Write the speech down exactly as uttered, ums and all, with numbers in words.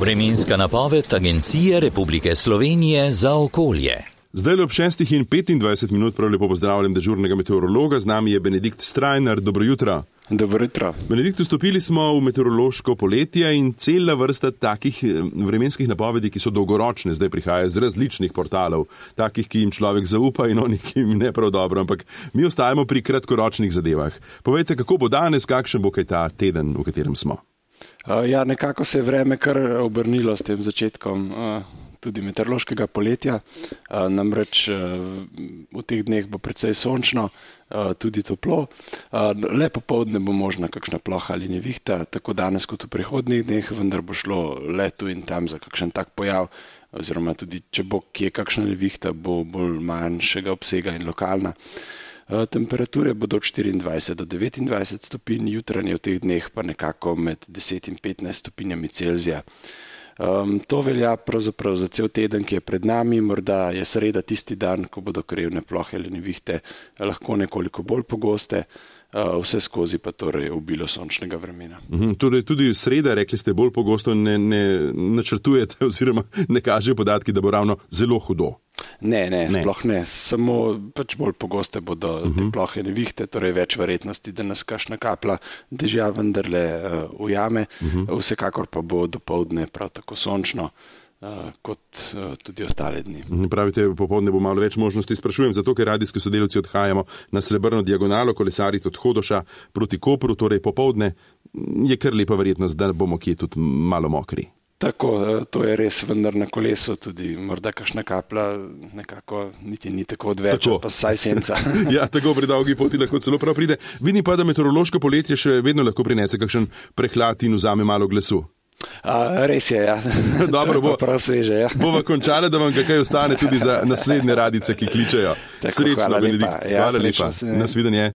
Vremenska napoved Agencije Republike Slovenije za okolje. Zdaj ob šestih in petindvajset minut prav lepo pozdravljam dežurnega meteorologa, z nami je Benedikt Strajnar. Dobro jutro. Dobro jutro. Benedikt, vstopili smo v meteorološko poletje in cela vrsta takih vremenskih napovedi, ki so dolgoročne, zdaj prihaja z različnih portalov, takih, ki jim človek zaupa in onih, ki jim ne prav dobro, ampak mi ostajamo pri kratkoročnih zadevah. Povejte, kako bo danes, kakšen bo kaj ta teden, v katerem smo? Ja, nekako se je vreme kar obrnilo s tem začetkom tudi meteorološkega poletja, namreč v teh dneh bo precej sončno, tudi toplo. Le popoldne bo možna kakšna ploha ali nevihta, tako danes kot v prihodnjih dneh, vendar bo šlo le tu in tam za kakšen tak pojav, oziroma tudi če bo kje kakšna nevihta, bo bolj manjšega obsega in lokalna. Temperature bodo od štiriindvajset do devetindvajset stopinj, jutranje v teh dneh pa nekako med deset in petnajst stopinjami Celzija. Um, to velja pravzaprav za cel teden, ki je pred nami, morda je sreda tisti dan, ko bodo krajevne plohe ali nevihte lahko nekoliko bolj pogoste, uh, vse skozi pa torej obilo sončnega vremena. Uhum, torej tudi sreda, rekli ste, bolj pogosto ne, ne načrtujete oziroma ne kažejo podatki, da bo ravno zelo hudo. Ne, ne, ne, sploh ne, samo pač bolj pogoste bodo uh-huh. te plohe nevihte, torej več verjetnosti, da nas kakšna kapla dežja vendarle uh, ujame, uh-huh. vsekakor pa bo dopoldne prav tako sončno uh, kot uh, tudi ostale dni. Pravite, popoldne bo malo več možnosti, sprašujem, zato ker radijski sodelavci odhajamo na Srebrno diagonalo, kolesariti od Hodoša proti Kopru, torej popoldne je kar lepa verjetnost, da bomo kje tudi malo mokri. Tako, to je res, vendar na kolesu tudi morda kakšna kapla nekako niti ni tako odveč, pa saj senca. Ja, tako pri dolgi poti lahko celo prav pride. Vidim pa, da meteorološko poletje še vedno lahko prinese kakšen prehlad in vzame malo glasu. A, res je, ja. Dobro, bo, prav sveže, ja. Bova končala, da vam kaj ostane tudi za naslednje radice, ki kličejo. Tako, Srečno, hvala Benedikt. Lepa. Ja, hvala lepa. Nasvidenje.